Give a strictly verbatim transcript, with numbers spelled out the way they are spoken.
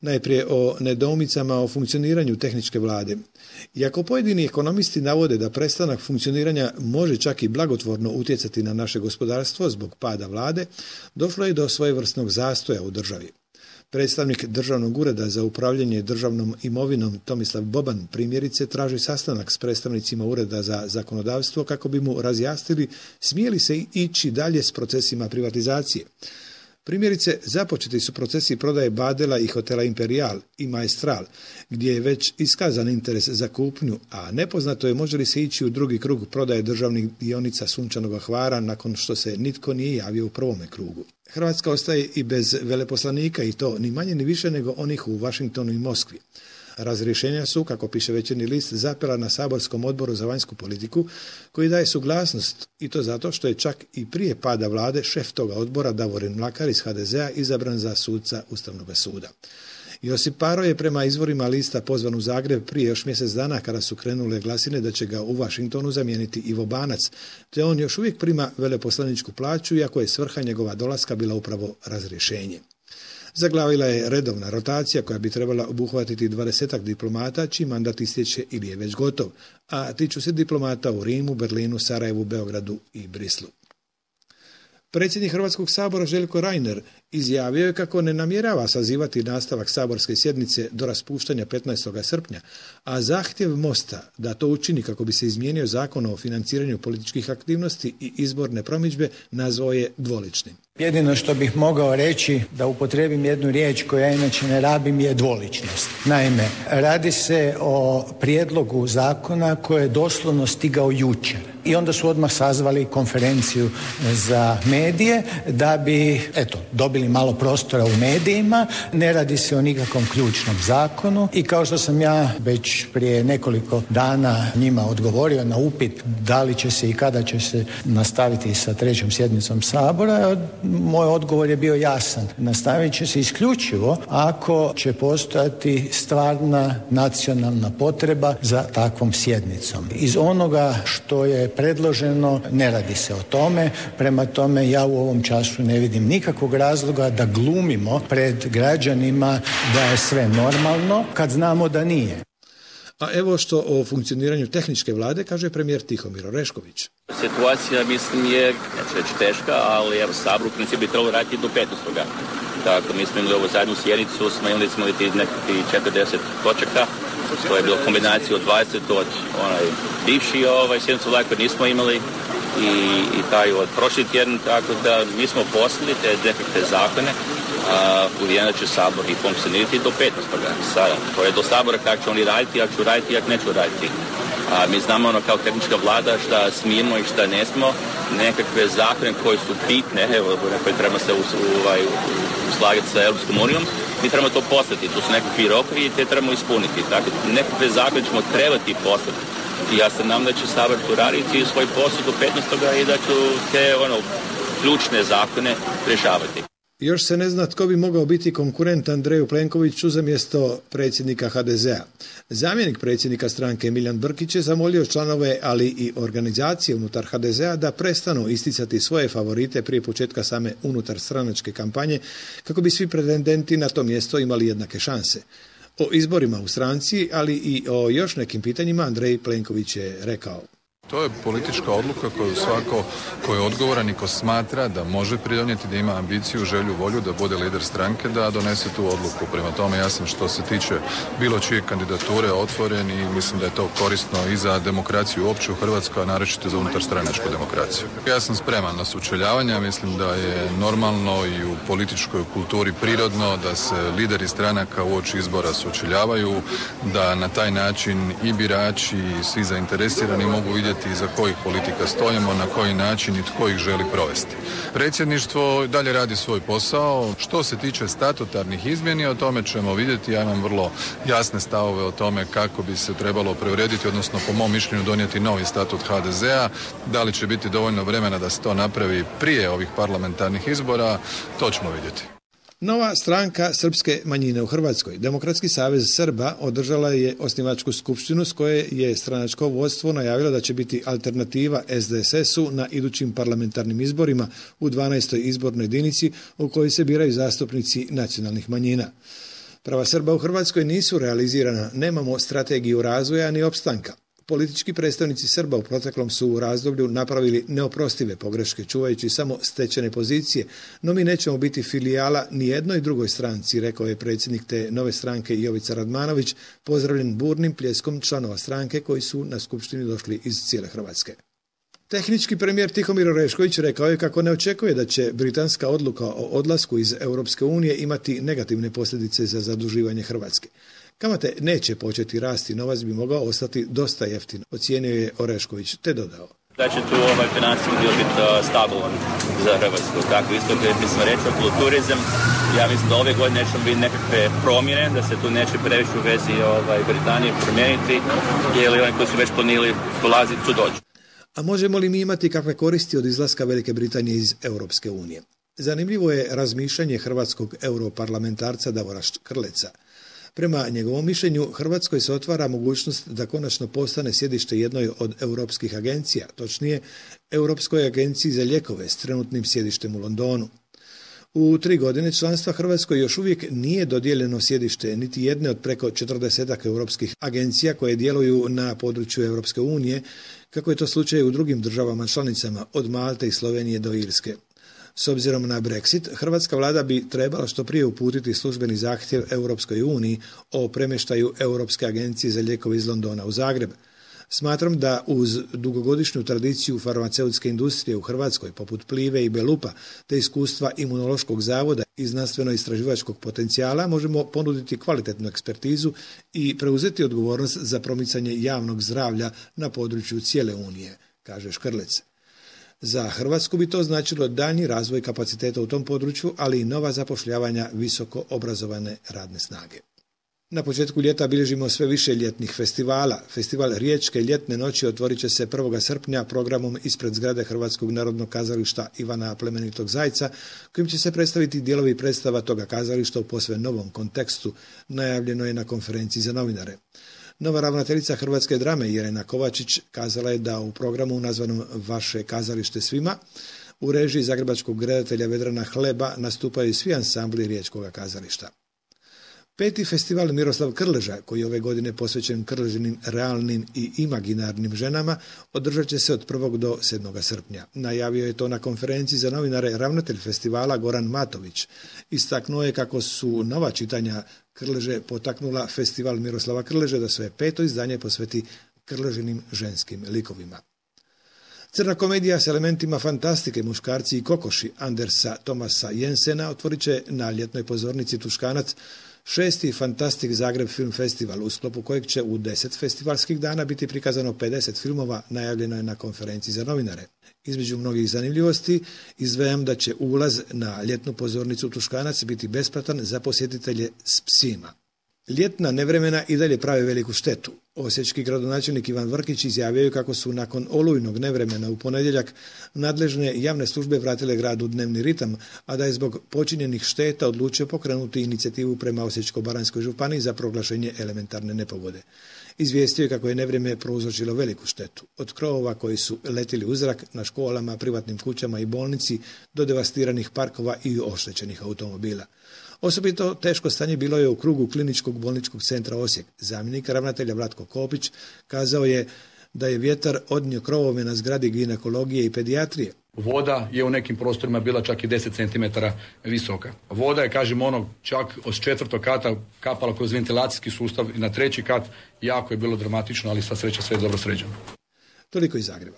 Najprije o nedoumicama o funkcioniranju tehničke vlade. Iako pojedini ekonomisti navode da prestanak funkcioniranja može čak i blagotvorno utjecati na naše gospodarstvo zbog pada vlade, došlo je do svojevrsnog zastoja u državi. Predstavnik Državnog ureda za upravljanje državnom imovinom Tomislav Boban primjerice traži sastanak s predstavnicima Ureda za zakonodavstvo kako bi mu razjasnili smije li se ići dalje s procesima privatizacije. Primjerice, započeti su procesi prodaje Badela i hotela Imperial i Maestral, gdje je već iskazan interes za kupnju, a nepoznato je može li se ići u drugi krug prodaje državnih dionica Sunčanog Hvara nakon što se nitko nije javio u prvome krugu. Hrvatska ostaje i bez veleposlanika i to ni manje ni više nego onih u Washingtonu i Moskvi. Razrješenja su, kako piše Večernji list, zapela na saborskom odboru za vanjsku politiku koji daje suglasnost i to zato što je čak i prije pada vlade šef toga odbora Davorin Mlakar iz ha de zea izabran za suca Ustavnog suda. Josip Paro je prema izvorima lista pozvan u Zagreb prije još mjesec dana kada su krenule glasine da će ga u Washingtonu zamijeniti Ivo Banac, te on još uvijek prima veleposlaničku plaću iako je svrha njegova dolaska bila upravo razrješenje. Zaglavila je redovna rotacija koja bi trebala obuhvatiti dvadesetak diplomata čiji mandat istječe ili je već gotov, a tiču se diplomata u Rimu, Berlinu, Sarajevu, Beogradu i Brislu. Predsjednik Hrvatskog sabora Željko Reiner izjavio je kako ne namjerava sazivati nastavak saborske sjednice do raspuštanja petnaestog srpnja, a zahtjev Mosta da to učini kako bi se izmijenio zakon o financiranju političkih aktivnosti i izborne promidžbe nazvao je dvoličnim. Jedino što bih mogao reći, da upotrijebim jednu riječ koju ja inače ne rabim, je dvoličnost. Naime, radi se o prijedlogu zakona koji je doslovno stigao jučer. I onda su odmah sazvali konferenciju za medije da bi, eto, dobili malo prostora u medijima. Ne radi se o nikakvom ključnom zakonu i kao što sam ja već prije nekoliko dana njima odgovorio na upit da li će se i kada će se nastaviti sa trećom sjednicom Sabora, moj odgovor je bio jasan. Nastavit će se isključivo ako će postojati stvarna nacionalna potreba za takvom sjednicom. Iz onoga što je predloženo ne radi se o tome, prema tome ja u ovom času ne vidim nikakvog razloga da glumimo pred građanima da je sve normalno kad znamo da nije. A evo što o funkcioniranju tehničke vlade kaže premijer Tihomir Orešković. Situacija, mislim, je, neću reći teška, ali evo, Sabor u principu bi trebalo raditi do petnaestoga Tako, mi smo imali ovu zadnju sjednicu, smo imali smo nekakvi četrdeset točaka, to je bilo kombinacija od dvadeset od onaj bivši ovaj, sjednicu vlade koje nismo imali i, i taj od prošli tjedan, tako da mi smo poslali te nekakve zakone, a uvijena će Sabor i funkcionirati do petnaestoga Sada, to je do Sabora kako će oni raditi, ako ću raditi, ako neću raditi. A mi znamo ono kao tehnička vlada šta smijemo i šta ne smo, nekakve zakone koje su bitne, evo, koje treba se ovaj, uslagati sa Europskom unijom, mi trebamo to poslati, to su nekakvi rokovi i te trebamo ispuniti. Tako, nekakve zakone ćemo trebati poslati. I ja se nam da će Sabor tu raditi svoj posao do petnaestoga i da će te ono, ključne zakone rješavati. Još se ne zna tko bi mogao biti konkurent Andreju Plenkoviću za mjesto predsjednika ha de zea. Zamjenik predsjednika stranke Miljan Brkić je zamolio članove, ali i organizacije unutar ha de zea da prestanu isticati svoje favorite prije početka same unutar stranačke kampanje kako bi svi pretendenti na to mjesto imali jednake šanse. O izborima u stranci, ali i o još nekim pitanjima Andrej Plenković je rekao. To je politička odluka koju svako ko je odgovoran i ko smatra da može pridonijeti, da ima ambiciju, želju, volju da bude lider stranke, da donese tu odluku. Prema tome ja sam što se tiče bilo čije kandidature otvoren i mislim da je to korisno i za demokraciju uopće u Hrvatskoj, a naročito za unutarstranačku demokraciju. Ja sam spreman na sučeljavanja, mislim da je normalno i u političkoj kulturi prirodno da se lideri stranaka uoči izbora sučeljavaju, da na taj način i birači i svi zainteresirani mogu vidjeti iza kojih politika stojimo, na koji način i tko ih želi provesti. Predsjedništvo dalje radi svoj posao. Što se tiče statutarnih izmjeni, o tome ćemo vidjeti. Ja imam vrlo jasne stavove o tome kako bi se trebalo preurediti, odnosno po mom mišljenju donijeti novi statut ha de zea. Da li će biti dovoljno vremena da se to napravi prije ovih parlamentarnih izbora, to ćemo vidjeti. Nova stranka srpske manjine u Hrvatskoj, Demokratski savez Srba, održala je osnivačku skupštinu s koje je stranačko vodstvo najavilo da će biti alternativa es de es es-u na idućim parlamentarnim izborima u dvanaestoj izbornoj jedinici u kojoj se biraju zastupnici nacionalnih manjina. Prava Srba u Hrvatskoj nisu realizirana, nemamo strategiju razvoja ni opstanka. Politički predstavnici Srba u proteklom su u razdoblju napravili neoprostive pogreške čuvajući samo stečene pozicije, no mi nećemo biti filijala ni jednoj drugoj stranci, rekao je predsjednik te nove stranke Jovica Radmanović, pozdravljen burnim pljeskom članova stranke koji su na skupštini došli iz cijele Hrvatske. Tehnički premijer Tihomir Orešković rekao je kako ne očekuje da će britanska odluka o odlasku iz Europske unije imati negativne posljedice za zaduživanje Hrvatske. Kamate neće početi rasti, novac bi mogao ostati dosta jeftin, ocijenio je Orešković, te dodao. Da će tu ovaj financijski dio biti uh, stabilan za Hrvatsku. Tako isto kad bismo rekli okolo turizam, ja mislim da ove godine nećemo biti nekakve promjene, da se tu neće previše u vezi ovaj, Britanije promijeniti, jer oni koji su već planili dolaziti tu dođu. A možemo li mi imati kakve koristi od izlaska Velike Britanije iz Europske unije? Zanimljivo je razmišljanje hrvatskog europarlamentarca Davora Škrleca. Prema njegovom mišljenju, Hrvatskoj se otvara mogućnost da konačno postane sjedište jednoj od europskih agencija, točnije Europskoj agenciji za lijekove s trenutnim sjedištem u Londonu. U tri godine članstva Hrvatskoj još uvijek nije dodijeljeno sjedište niti jedne od preko četrdesetak europskih agencija koje djeluju na području Europske unije, kako je to slučaj u drugim državama članicama, od Malte i Slovenije do Irske. S obzirom na Brexit, hrvatska vlada bi trebala što prije uputiti službeni zahtjev Europskoj uniji o premještaju Europske agencije za lijekove iz Londona u Zagreb. Smatram da uz dugogodišnju tradiciju farmaceutske industrije u Hrvatskoj, poput Plive i Belupa, te iskustva Imunološkog zavoda i znanstveno-istraživačkog potencijala, možemo ponuditi kvalitetnu ekspertizu i preuzeti odgovornost za promicanje javnog zdravlja na području cijele Unije, kaže Škrlec. Za Hrvatsku bi to značilo daljnji razvoj kapaciteta u tom području, ali i nova zapošljavanja visoko obrazovane radne snage. Na početku ljeta bilježimo sve više ljetnih festivala. Festival Riječke ljetne noći otvorit će se prvog srpnja programom ispred zgrade Hrvatskog narodnog kazališta Ivana Plemenitog Zajca, kojim će se predstaviti dijelovi predstava toga kazališta u posve novom kontekstu, najavljeno je na konferenciji za novinare. Nova ravnateljica Hrvatske drame Jelena Kovačić kazala je da u programu nazvanom Vaše kazalište svima u režiji zagrebačkog redatelja Vedrana Hleba nastupaju svi ansambli Riječkog kazališta. Peti festival Miroslav Krleža, koji je ove godine posvećen krležinim realnim i imaginarnim ženama, održat će se od prvog do sedmog srpnja. Najavio je to na konferenciji za novinare ravnatelj festivala Goran Matović. Istaknuo je kako su nova čitanja Krleže potaknula festival Miroslava Krleže da svoje peto izdanje posveti krležinim ženskim likovima. Crna komedija s elementima fantastike, muškarci i kokoši Andersa Tomasa Jensena otvorit će na ljetnoj pozornici Tuškanac šesti Fantastik Zagreb Film Festival, u sklopu kojeg će u deset festivalskih dana biti prikazano pedeset filmova, najavljeno je na konferenciji za novinare. Između mnogih zanimljivosti izdvajam da će ulaz na ljetnu pozornicu Tuškanac biti besplatan za posjetitelje s psima. Ljetna nevremena i dalje prave veliku štetu. Osječki gradonačelnik Ivan Vrkić izjavio je kako su nakon olujnog nevremena u ponedjeljak nadležne javne službe vratile grad u dnevni ritam, a da je zbog počinjenih šteta odlučio pokrenuti inicijativu prema Osječko-baranjskoj županiji za proglašenje elementarne nepogode. Izvijestio je kako je nevrijeme prouzročilo veliku štetu. Od krovova koji su letili u zrak na školama, privatnim kućama i bolnici do devastiranih parkova i oštećenih automobila. Osobito teško stanje bilo je u krugu Kliničkog bolničkog centra Osijek. Zamjenik ravnatelja Vlatko Kopić kazao je da je vjetar odnio krovove na zgradi ginekologije i pedijatrije. Voda je u nekim prostorima bila čak i deset centimetara visoka. Voda je, kažem, ono čak od četvrtog kata kapala kroz ventilacijski sustav i na treći kat. Jako je bilo dramatično, ali sva sreća sve je dobro sređeno. Toliko iz Zagreba.